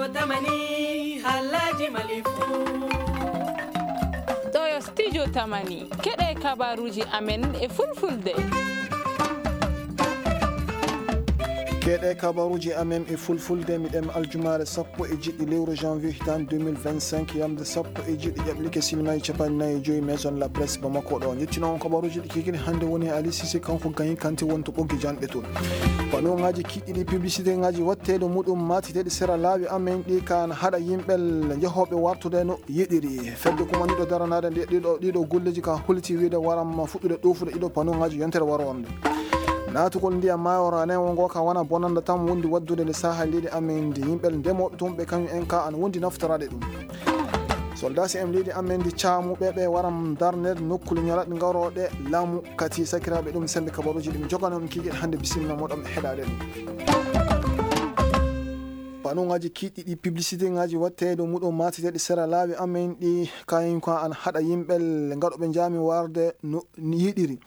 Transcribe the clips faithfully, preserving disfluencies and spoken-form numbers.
Tamani, halaji malifu. Ɗo yo studio Tamani. Keɗe kabaruji amen e fulfulde. Keɗe kabaruji amen e fulfulde, miɗen aljumaare sappo e jeɗɗi lewru janvier hitaande deux mille vingt-cinq, yamde sappo e jeɗɗi ƴaɓlike simnaaji capanɗe nayi e joyi Maison La Presse Bamako ɗo. Ƴettino on kabaruji ɗi kikiri hannde woni Ali Cissé, kanko Gayi Kanté woni to ɓoggi janɗe toon. Panneauji kiɗɗi ɗi, publicité ngaji watteeɗo muɗum maatiteeɗi sera laawi amen ɗi kan haɗa yimɓe jehooɓe wartude no yiɗiri. Fedde kumaniiɗo daranaade nde ɗiɗo, ɗiɗo golleji ka holiti wiide waram fuɗɗude ɗoofude ɗiɗo panneauji yontere waroore nde. Naatugol ndiyam maayo Ranewo ngo ka wona bonannda tan wondi waddude nde saha leydi amen ndi. Yimɓe ndemooɓe toon ɓe kañum en ka an wondi naftoraade ɗum. Soldat C M leydi amen ndi caamuɓe ɓe waram darneede nokkule ñalaɗe ngarooɗe laamu kati sakiraaɓe ɗum sembe kabaruji ɗum jogano on kikiɗe hannde bisimilla moɗon heɗaade ɗum. Panneauji kiɗɗi ɗi, publicité ngaji watteeɗo muɗum maatiteeɗi sera laawi amen ɗi kañum ko an haɗa yimɓe ngaɗoɓe jaami warde no yiɗiri.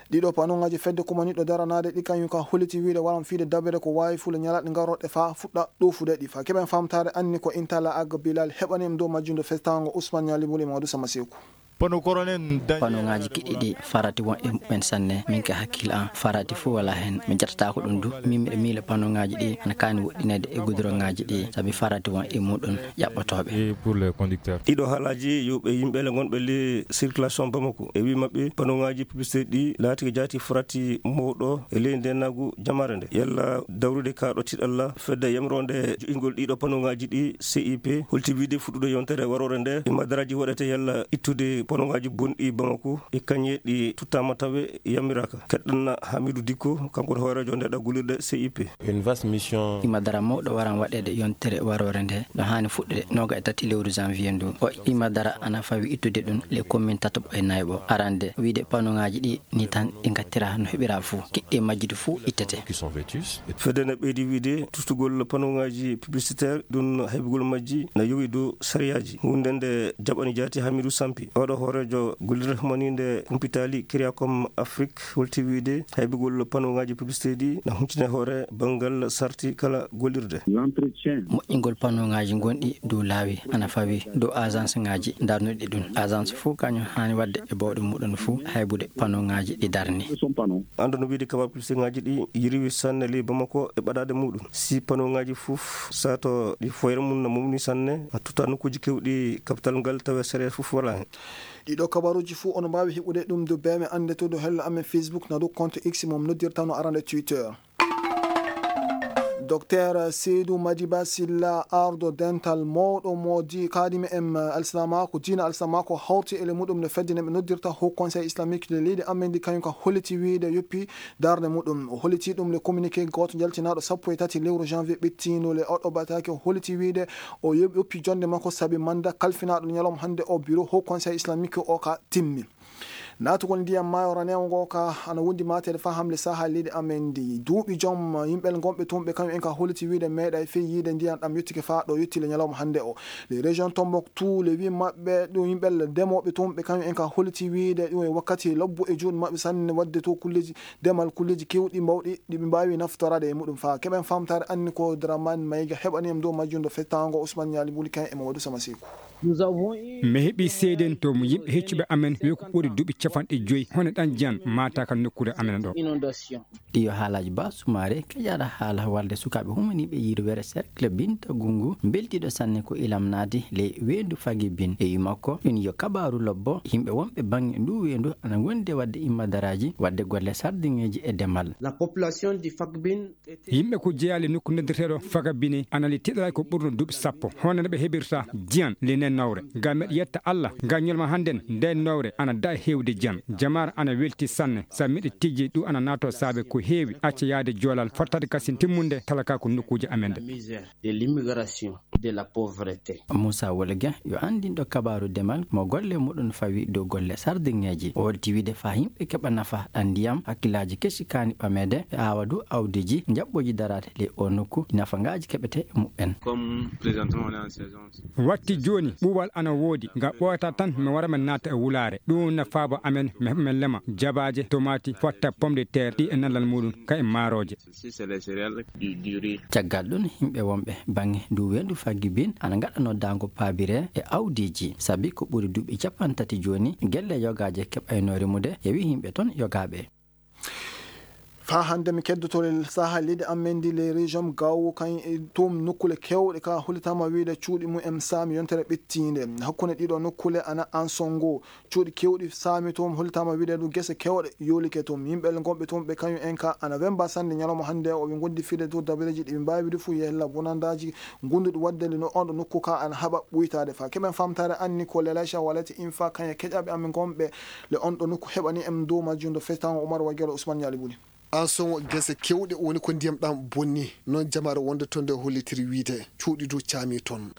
Ɗiɗo panneauji fedde kumaniiɗo daranaade ɗi kañum ka holliti wiide waran fiide dabere ko waawi fuule ñalaɗe ngarooɗe fa fuɗɗa ɗoofude ɗi. Fa keɓen famtaare anni ko Intala Agga Bilal heɓani en dow majjunde festango Ousmane Ñali Buli Mamadou Sama Seku. Panneauji kiɗɗi ɗi farati won e mumen sanne, min ka hakkille an farati fof wala hen, mi jattata ko ɗum du, min miɗa miila panneauji ɗi ana kaani woɗɗineede e goudrongaji ɗi, sabi farati won e muɗum ƴaɓɓotooɓe. Et pour les conducteurs. Ɗiɗo haalaji yo ɓe yimɓe le gonɓe le circulation Bamako e wi maɓɓe panneauji publicité ɗi laati ko jaati farati mawɗo e ley nde nagu jamaare nde. Yalla dawrude ka ɗo tiɗalla fedde yamronde jo'ingol ɗiɗo panneauji ɗi C I P holti wiide fuɗɗude yontere waroore nde e madaraji waɗete yalla ittude panneauji bonɗi Bamako e kañe ɗi tuttama tawe yamiraka. Keɗɗanna Hamidou Dikko, kanko woni hooreejo nde ɗo gollirde C I P. Une vaste mission. Ima dara mawɗo waran waɗeede yontere waroore nde, no haani fuɗɗude nooga e tati lewru janvier ndu. O ima dara ana fawi ittude ɗum le commune tataɓo e nayɓo. Arande, wiide panneauji ɗi ni tan ɗi ngattira no heɓira fuu. Kiɗɗi majjude fuu ittete. Qui sont vêtus. Fedde ne ɓeydi wiide tustugol panneauji publicitaire ɗum haybugol majji na yowi dow sariyaaji. Hunde nde jaɓani jaati Hamidou Sampi. Oɗo hooreejo gollirde humaninde kumpitali Kiriakom Afrique holti wiide haybugol panneauji publicité ɗi na huncine hoore banngal sarti kala gollirde. L'entretien. Moƴƴingol panneauji gonɗi dow laawi ana fawi dow agence ngaji darnuɗi ɗum. Agence fof kañum haani waɗde e bawɗe muɗum fof haybude panneauji ɗi darni. Son panneau. Ando no wiide kabaru publicité ngaji ɗi yiriwi sanne ley Bamako e ɓaɗaade muɗum. Si panneauji fof sato ɗi foyre mum no mawni sanne, a tutta nokkuuji kewɗi capital ngal tawa sere fof wala hen. Ɗiɗo kabaruji fof on mbaawi heɓude ɗum do beeme annde to do hello amen Facebook na do compte X mo noddirta no arande Twitter. Docteur Seydou Madiba Silla, ardo dental mawɗo mo di kaadimi en alsilamako, diina alsilamako hawti ele muɗum no fedde ne ɓe noddirta Haut Conseil Islamique de leydi amen ndi, kañum ka holliti wiide yoppi darnde muɗum. O holliti ɗum le communiqué gooto jaltinaɗo sappo e tati lewru janvier ɓettindo le oɗo batake. O holliti wiide o yoɓ-, yoppi jonde makko sabi manda kalfinaɗo ñalawma hannde o bureau Haut Conseil Islamique o ka timmi. Naatugol ndiyam maayo Ranewo ngo ka ana wondi mateede fa hamle saha leydi amen ndi. Duuɓi joom yimɓe gonɓe toon ɓe kañum en ka holliti wiide meeɗa e fey yiide ndiyam ɗam yottike fa ɗo yotti le ñalawma hannde o. Les régions Tombouctou, le wi maɓɓe ɗum yimɓe ndemooɓe toon ɓe kañum en ka holliti wiide ɗum e wakkati lobbo e juuɗe maɓɓe sanne wadde to kulleji demal, kulleji kewɗi mbawɗi ɗi ɓe mbaawi naftoraade e muɗum fa. Keɓen famtaare anni ko Dramane Maïga heɓani en dow majjum do fettango Ousmane Ñaali Buli kan e Mamadou Sama Seku. Mi heɓi seedento mo yimɓe heccuɓe amen wi ko ɓuri duuɓi capanɗe joyi hono ɗan jan maata ka nokkuure amen ɗo. Ɗi yo haalaji Ba Sumaare, kejaɗa haala walde sukaaɓe humaniiɓe yirwere cercle Binta Gungu, mbeltiiɗo sanne ko ilam naati ley weendu Fagi Bin. E wi makko, ɗum yo kabaaru lobbo, yimɓe wonɓe baŋŋe nduu weendu ana ngondi e waɗde immadaraaji, waɗde golle sardiŋeeji e demal. La population di Fagbin. Yimɓe ko jeyaa le nokku noddirteeɗo Fagabini ana le tiɗalay ko ɓurno duuɓi sappo. Hono no ɓe heɓirta diyan le nden nawre. Ngam meɗa yetta Alla, ngam ñalma hannden nden nawre ana daɗa heewde diyan. Jamaare ana welti sanne, sabi miɗo tijji ɗum ana naatoo saabe ko heewi acca yaade joolal, fottaade kasin timmunde talaka ko nokkuuje amen ɗe. La misère de l'immigration, de la pauvreté. Moussa Wolge yo anndinɗo kabaaru demal mo golle muɗum fawi dow golle sardiŋeeji. O holti wiide faa yimɓe keɓa nafa ɗan ndiyam, hakkillaaji kesi kaani ɓameede e aawadu awdiji njaɓɓooji daraade ley oo nokku, nafagaaji keɓete e muɓɓen. Comme présentement on est en saison. Watti jooni Ɓuuɓal ana woodi, nga ɓooyata tan mi wara min naata e wulaare. Ɗum na faaba amen, mi heɓa min lema jabaaje, tomaati, fotta, pomme de terre, ɗi e nallal muɗum, ka e maarooje. Caggal ɗum, yimɓe wonɓe baŋŋe ndu weendu Fagibin ana ngaɗanoo daango paabire e awdiiji, sabi ko ɓuri duuɓi cappanɗe tati jooni, gelle yogaaje keɓayno rimude, yewi yimɓe toon yogaaɓe. Faa hannde mi keddoto le saha leydi amen ndi, le région Gao, kan e toon nokkule keewɗe ka hollitaama wiide cuuɗi mum en saami yontere ɓettiinde. Hakkunde ɗiɗo nokkule ana Ansongo, cuuɗi keewɗi saami toon, hollitaama wiide ɗum gese keewɗe yoolike toon. Yimɓe gonɓe toon ɓe kañum en ka ana wemba sannde ñalawma hannde o, ɓe ngondi fiide to dabareeji ɗi ɓe mbaawi wiide fof yella bonandaaji gonduɗi waɗde le no on ɗo nokku ka ana haɓa ɓuytaade. Fa keɓen famtaare anni ko Lelacha Walati Infa kañe keƴaɓe amen gonɓe le on ɗo nokku heɓani en dow majjum ɗo festango Umar Wagelo Ousmane Ñaali Buli. An soŋo gese kewɗe woni ko ndiyam ɗam bonni, noon jamaare wonde toon nde hollitiri wiide cuuɗi du caami toon.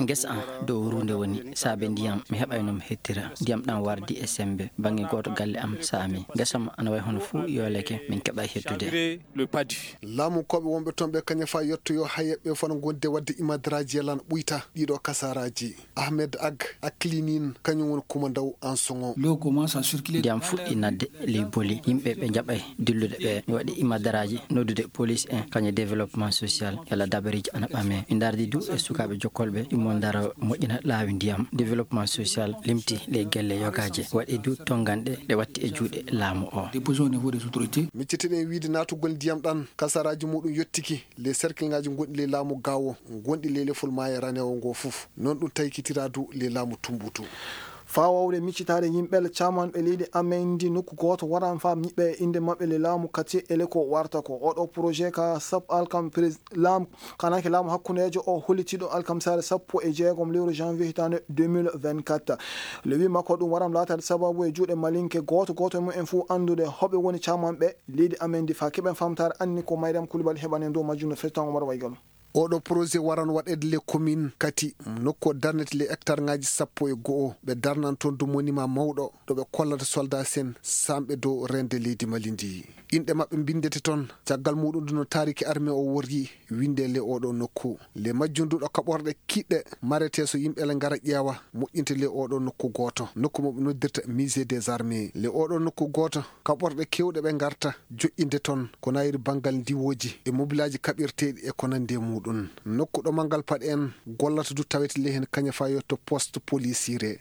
Ngesa an dow ruunde woni saabe ndiyam, mi heɓayno mi hettira. Ndiyam ɗam wardi e semmbe, baŋŋe gooto galle am saami. Ngesa am ana wayi hono fuu yooleke, min keɓay hettude. Laamu koɓe wonɓe toon ɓe kañum fa yettoyo hayeɓe fana gonde waɗde imadaraaji yalan ɓuyta ɗiɗo kasaraaji. Ahmed Ag Aklinin kañum woni kumandaw an soŋo. Ndiyam fuɗɗi nadde ley boli, yimɓe ɓe njaɓay dillude ɓe. Mi waɗi imadaraaji noddude police en, kañum développement social, yalla dabareeji ana ɓame. Mi ndardi du e sukaaɓe jokkolɓe, ɗum mo ndara moƴƴina laawi ndiyam. Développement social limti ley gelle yogaaje, waɗi du tonnganɗe ɗe watti e juuɗe laamu o. Miccitiɗen wiide naatugol ndiyam ɗan, kasaraaji muɗum yottiki ley serkilŋaaji gonɗi ley laamu Gaawo, gonɗi ley lefol maayo ranewo ngo fof. Noon ɗum taykitira du ley laamu Tumbutu. Faa wawde miccitaade yimɓe le camanɓe leydi amen ndi nokku gooto waran faa ñiɓɓe e innde maɓɓe le laamu kati ele ko warta ko. Oɗo projet ka sap alkam pres-, laamu, kanake laamu hakkundeejo o hollitiiɗo alkamsaare sappo e jeegom lewru janvier hitaande deux mille vingt-quatre. Le wi makko ɗum waran laataade sababu e juuɗe malinke gooto gooto e mumen fof anndude hoɓe woni camanɓe leydi amen ndi faa keɓen famtaare anni ko Mariam Koulibaly heɓani en dow majjum no fetan Omar Waygalo. Oɗo projet waran waɗeede le commune kati nokku o darnete le hectare ŋaaji sappo e go'o. Ɓe darnan toon du monument mawɗo ɗo ɓe kollata soldat sen samɓe dow rende leydi Mali ndi. Inɗe maɓɓe mbindete toon. Caggal muɗum du no taariki armée o worri winde le oɗo nokku. Le majjum du ɗo kaɓorɗe kiɗɗe marete so yimɓe le ngara ƴeewa moƴƴinte le oɗo nokku gooto. Nokku mo ɓe noddirta musée des armées. Le oɗo nokku gooto kaɓorɗe kewɗe ɓe ngarta joƴƴinde toon ko nayiri banngal ndiwooji e mobilaaji kaɓirteeɗi e ko nanndi e muɗum. Nokku ɗo manngal paɗe en gollata du tawete ley heen kaña fa yetto poste policier.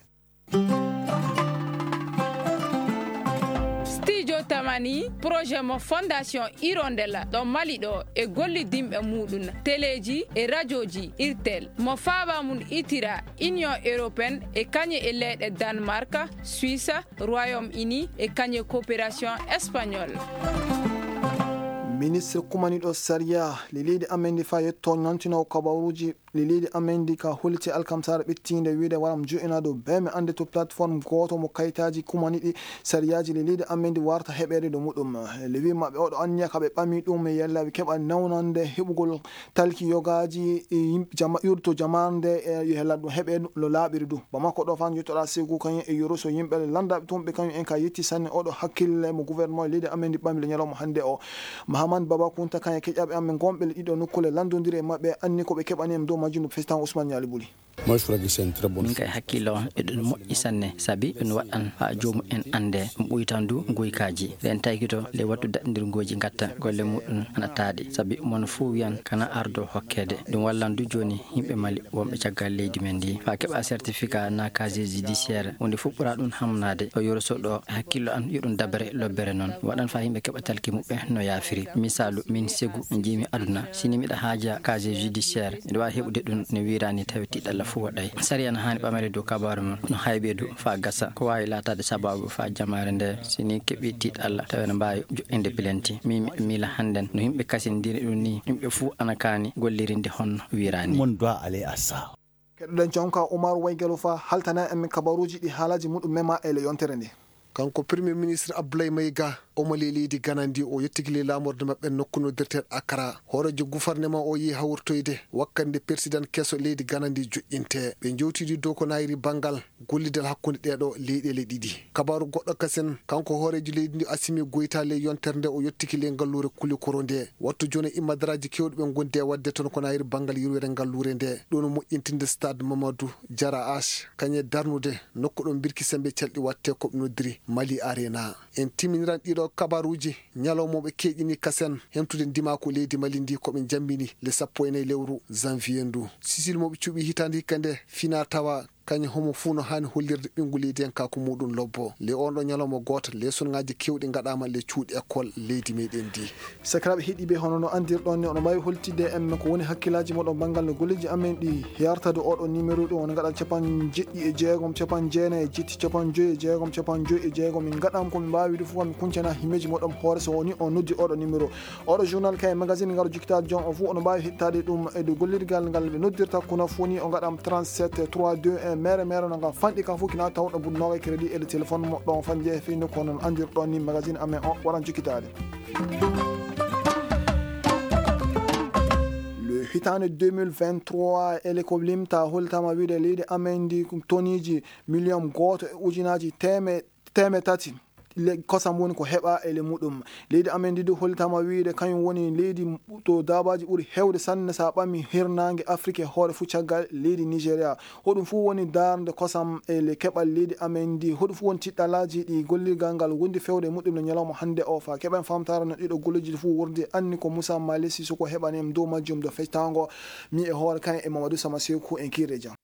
Studio Tamani, projet mo Fondation Hirondelle ɗo Mali ɗo e gollidinɓe muɗum, teleeji e rajooji Irtel, mo faaba mum itira Union Européenne e kañe e leyɗe Danemark, Suisse, Royaume-Uni e kañe coopération espagnole. Ministre kumaniɗo sariya le leydi amen ndi fa yetto ñantinowo kabaruuji le leydi amen ndi ka holti alkamsara ɓettiinde wiide waram jo'ina dow beme annde to plateforme gooto mo kayitaaji kumaniɗi sariyaaji le leydi amen ndi warta heɓeede dow muɗum. Le wi maɓɓe oɗo anniya ka ɓe ɓami ɗum e yella ɓe keɓa nawnande heɓugol talki yogaaji, e yimɓe jama-, yurto jamaande, e yo hela ɗum heɓe no laaɓiri du. Bamako ɗo fan yettoɗa Segu kañum e Yoroso yimɓe le landaɓe tun ɓe kañum en ka yetti sanne oɗo hakkille mo gouvernement leydi amen ndi ɓami le ñalawma hannde o. Mahaman Baba Kunta kañum e keƴaɓe amen gonɓe le ɗiɗo nokkule landodiri e maɓɓe anni ko ɓe keɓani en dow majjum no président Ousmane Ñaali Buli. Min kay hakkille on eɗum moƴƴi sanne, sabi ɗum waɗan faa joomum en annde, ɗum ɓuytan du nguykaaji. Nden taykito le wattu daɗndirngooji ngatta golle muɗum ana taaɗi, sabi mono fof wiyan kana ardo hokkeede. Ɗum wallan du jooni yimɓe Mali wonɓe caggal leydi men ndi. Faa keɓa certificat na casier judiciaire, huunde fof ɓura ɗum hamnaade. O Yoroso ɗo hakkillo an yo ɗum dabere lobbere noon. Waɗan faa yimɓe keɓa talki muɓɓe no yaafiri. Misaalu, min Segu njiimi aduna, si ni miɗa haaja casier judiciaire, miɗa waawi heɓude ɗum no wiiraani tawi tiiɗalla fof waɗay. Sariya no haani ɓamere dow kabaaru mum, no haybe du faa gasa. Ko waawi laataade sabaabu faa jamaare nde, si ni keɓi tiiɗalla, tawi no mbaawi joɗɗinde pilenti. Min miɗa miila hannden no yimɓe kasindiri ɗum ni, yimɓe fof ana kaani gollirinde honno wiiraani. Mon doit aller à ça. Keɗoɗen jonka Umar Waygalo fa haltana en kabaruuji ɗi haalaaji muɗum mema e le yontere nde. Kanko Premier Ministre Abdoulaye Maïga Omali leydi Gana ndi o yettiki ley laamorde maɓɓe nokku noddirteeɗo Accra. Hooreejo gufarnema o yehi hawritoyde wakkande persidan keso leydi Gana ndi joƴƴinte. Ɓe njowtidi dow ko nayri banngal gollidal hakkunde ɗee ɗoo leyɗeele ɗiɗi. Kabaaru goɗɗo kasen, kanko hooreejo leydi ndi Assimi Goïta ley yontere nde o yettiki ley ngalluure Kulikoro nde. Wattu jooni immadaraaji keewɗi ɓe ngondi e waɗde toon ko nayri banngal yurwere ngalluure nde. Ɗum no moƴƴintinde stade Mamadou Diarra H, kañe darnude nokku ɗo mbirki sembe calɗi waɗte ko ɓe noddiri Mali Arena. En timminiran ɗiɗo kabaruuji ñalawmooɓe keeƴini kasen hemtude ndimaaku leydi Mali ndi ko ɓe njambini le sappo e nayi lewru janvier ndu. Sisil mo ɓe cuɓi hitaande hikka nde fina tawa kañum homo fuu no haani hollirde ɓinngu leydi en ka ko muɗum lobbo. Le on ɗo ñalawma gooto, leesonŋaaji keewɗi ngaɗaama le cuuɗi école leydi meɗen ndi. Sakiraaɓe heɗiiɓe, hono no anndirɗon ni, oɗon mbaawi holtidde en ko woni hakkillaaji moɗon banngal no golleeji amen ɗi yartade oɗo numéro ɗum, on ngaɗa capanɗe jeɗɗi e jeegom, capanɗe jeenayi e jetti, capanɗe joyi e jeegom, capanɗe joyi e jeegom. Min ngaɗaama ko min mbaawi ɗum fof, min kuncana himmeeji moɗon hoore so woni on noddi oɗo numéro. Oɗo journal kay magazine ngaro jikitaade joom o fof, oɗon mbaawi heɗtaade ɗum e dow gollirgal ngal ɓe noddirta kono fof ni, o ngaɗaama trente-sept trois deux un, mere mere no ngam fanɗi ka fof kina tawɗo bunnooga crédit e le téléphone moɗon fan jeefe fii no ko non anndirɗon ni magazine amen o waran jikitaade. Le hitaande deux mille vingt-trois, ele ko limta holtama wiide leydi amen ndi ko toniji miliyom gooto e ujunaaji teme-, teme tati le-, kosam woni ko heɓa ele muɗum. Leydi amen ndi du holtama wiide kañum woni leydi to daabaaji ɓuri hewde sanne sa ɓami hirnaange Afrique e hoore fuu caggal leydi Nigeria. Hoɗum fuu woni darnde kosam e le keɓal leydi amen ndi. Hoɗum fuu woni tiɗɗalaaji ɗi gollirgal ngal wondi fewde e muɗum no ñalawma hannde o fa. Keɓen famtara no ɗiɗo golleji fuu wurdi anni ko Moussa Mali Sissoko heɓani en dow majjum do fectango. Mi e hoore kan e Mamadou Sama Sekou en kiire jam.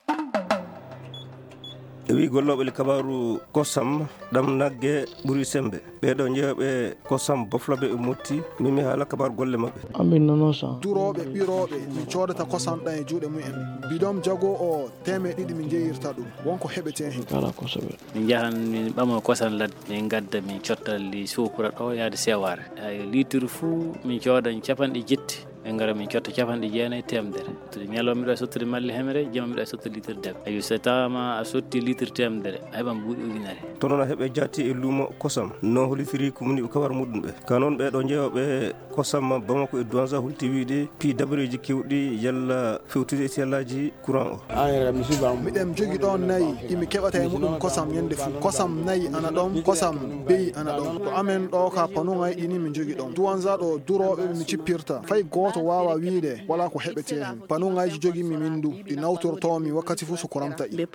E wi gollooɓe le kabaaru kosam ɗam nagge ɓuri sembe. Ɓeeɗo jeeyoɓe kosam bofloɓe e motti. Min mi haala kabaaru golle maɓɓe. Ambin nono sa. Durooɓe, ɓirooɓe, min coodata kosam ɗam e juuɗe mumen. Bidon jago o teemeɗe ɗiɗi min njeyirta ɗum. Wonko heɓete hen. Kala kosoɓe. Min njahan min ɓama kosam ladde, min ngadda min cotta li suukura ɗo yaade sewaare. Ay, litre fuu min coodan capanɗe jetti. Min ngara min cotta capanɗe jeenayi teemedere. Tiri ñalawma miɗo sottude malli hemere, jama miɗo sottude litre debe. Ayo, so tawaama a sotti litre teemedere, a heɓan buuɗi ujunere. Tono na heɓe jaati e luumo kosam. No holitiri ko moni ko kabar muɗum ɓe. Ka noon ɓe ɗo jeeyoɓe kosam Bamako e Douenza holti wiide pii dabareeji kewɗi yalla fewtude e siyallaaji courant o. Miɗen jogi ɗon nayi, imi keɓata e muɗum kosam ñande fuu. Kosam nayi ana ɗon, kosam beyi ana ɗon. Ko amen ɗo ka panuŋay ɗi ni mi jogi ɗon. Duwanza ɗo durooɓe mi cippirta. Fay gooto waawa wiide wala ko heɓete hen. Panuŋayji jogi mi min du, ɗi nawtortoo mi wakkati fuu so courant taƴi.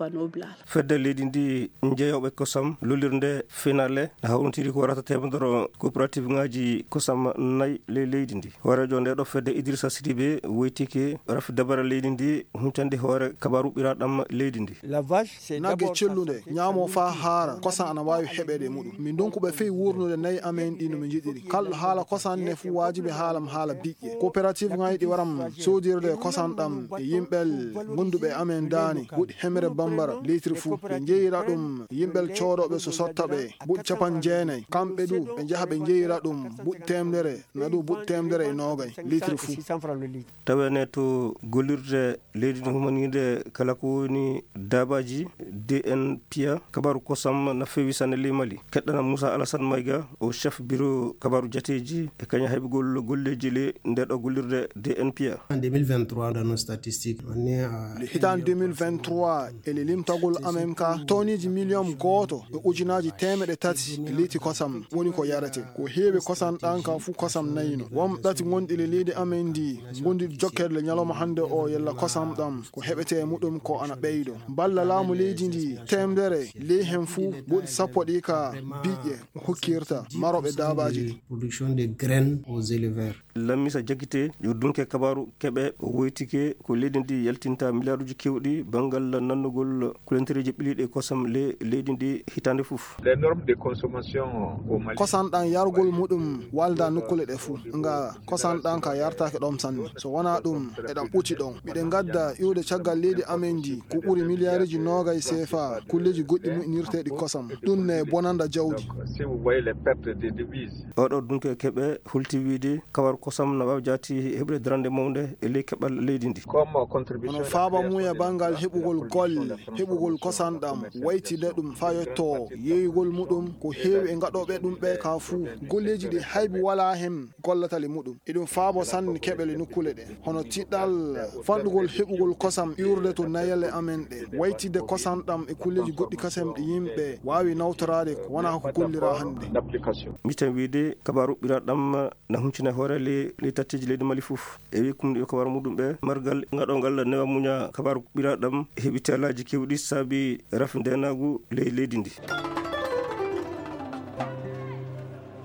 Fedde leydi ndi jeeyoɓe kosam lollirde finale hawrintiri ko warata teemedere coopérative ŋaaji kosam nayi ley leydi ndi. Hooreejo nde ɗo fedde Idrissa Sidibé woytike rafi dabare leydi ndi huncande hoore kabaru ɓiraɗam leydi ndi. Nagge cellunde, ñaamo faa haara, kosam ana waawi heɓeede e muɗum. Min ndonku ɓe fey wuurnude nayi amen ɗi no min njiɗiri. Kalɗo haala kosam ne fuu waajibi haalam haala biƴƴe. Coopérative ŋaaji ɗi waram soodirde kosam ɗam e yimɓel gonduɓe e amen daani, buuɗi hemere bambara, litre fuu. Ɓe njeyira ɗum yimɓel coodooɓe so sotta ɓe, buuɗi capanɗe jeenayi. Kamɓe du, ɓe njaha ɓe njeyira ɗum buuɗi teemedere, na du buuɗi teemedere e noogay, litre fuu. Tawene to gollirde leydi ndi humaniinde kala ko woni daabaaji D N P A, kabaru kosam na feewi sanne ley Mali. Keɗɗana Moussa Alassane Maïga, o chef bureau kabaru jateeji e kaña haybugol golleeji ley nde ɗo gollirde D N P A. En deux mille vingt-trois, dans nos statistiques, on est à... Le hitaande deux mille vingt-trois, e le limtagol amen ka, toniiji miliyon gooto e ujunaaji teemeɗe tati e liiti kosam woni ko yarete. Ko heewi kosam ɗan ka fuu kosam nayino. Won ɗati gonɗi le leydi amen ndi, gonɗi jokkeede le ñalawma hannde o yalla kosam ɗam. Ko heɓete e muɗum ko ana ɓeydo. Balla laamu leydi ndi, teemedere ley hen fuu, buuɗi sappo ɗi ka biƴƴe hokkirta marooɓe daabaaji ɗi. Production de graines aux éleveurs. Lammisa Jakite, yo dunke kabaru keɓe, o woytike ko leydi ndi yaltinta miliyaaruji kewɗi banngal nannugol kulantereeji ɓiliiɗi e kosam le-, leydi ndi hitaande fof. Les normes de consommation au Mali. Kosam ɗan yargol muɗum walda nokkule ɗe fuu. Nga kosam ɗan ka yartaake ɗon sanne. So wonaa ɗum, eɗan ɓuti ɗon. Miɗen ngadda iwde caggal leydi amen ndi ko ɓuri miliyaaruji noogay C F A, kulleeji goɗɗi moƴƴinirteeɗi kosam. Ɗum ne bonanda jawdi. Donc, si vous voyez les pertes de devises. Oɗo dunke keɓe hulti wiide kawar kosam na waawi jaati heɓre darande mawnde e ley keɓal leydi ndi. Hono faaba muuya banngal heɓugol golle, heɓugol kosanɗam, waytinde ɗum faa yetto yeeyugol muɗum ko heewi e ngaɗooɓe ɗum ɓe ka fuu. Golleeji ɗi haybu walaa heen gollatali muɗum. Eɗum faabo sanne keɓele nokkuule ɗe, hono tiɗɗal fanɗugol heɓugol kosam iwrude to nayele amen ɗe, waytinde kosanɗam e kulleeji goɗɗi kasam ɗi yimɓe waawi nawtoraade ko wonaa ko gollira hannde. Miten wiide kabaaru ɓiraaɗam na huncina hoore ley ley tatteeji leydi Mali fof. E wi kumɗi kabaaru muɗum ɓe margal ngaɗongal newa muña kabaaru ɓiraaɗam heɓi teelaaji kewɗi saabi rafi ndeenaagu ley leydi ndi.